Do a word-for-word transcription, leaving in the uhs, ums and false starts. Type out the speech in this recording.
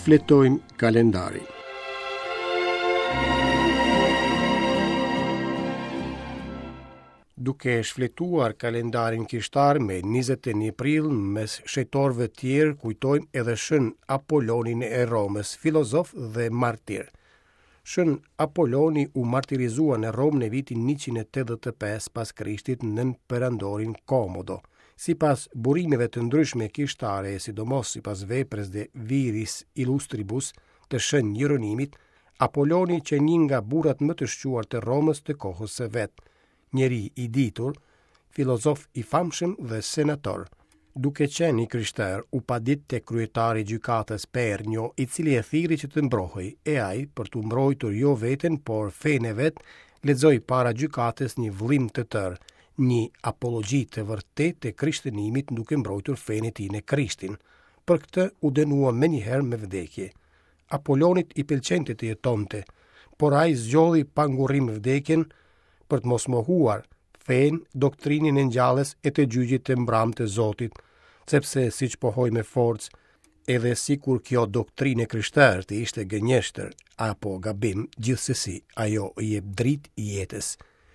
Shfletojmë kalendarin. Duke shfletuar kalendarin kishtar me njëzet e një prill, mes shenjtorëve tjerë kujtojmë edhe Shën Apollonin e Romës, filozof dhe martir. Shën Apolloni u martirizua në Romë në vitin njëqind e tetëdhjetë e pesë pas Krishtit nën perandorin Komodo. Sipas burimeve të ndryshme kishtare, sidomos sipas veprës De Viris Illustribus të Shën Jeronimit, Apolloni qe një nga burrat më të shquar të Romës të kohës së vet, njeri i ditur, filozof i famshëm dhe senator. Duke qenë i krishterë, u padit te kryetari i gjykatës Pernio, i cili e thirri që të mbrohej, e ai, për t'u mbrojtur jo veten, por fenë e vet, lexoi para gjykatës një vëllim të tërë, një apologji të vërtetë të krishtënimit duke mbrojtur fenë e tij në Krishtin. Për këtë u dënua menjëherë me vdekje. Apollonit i pëlqente të jetonte, por ai zgjodhi pa ngurrim vdekjen për të mos mohuar fenë, doktrinën e ngjalljes e të gjyqit të mbramë të Zotit, sepse siç pohoi me forcë, edhe sikur kjo doktrinë e krishterë të ishte gënjeshtër apo gabim, gjithsesi ajo i jep dritë jetës.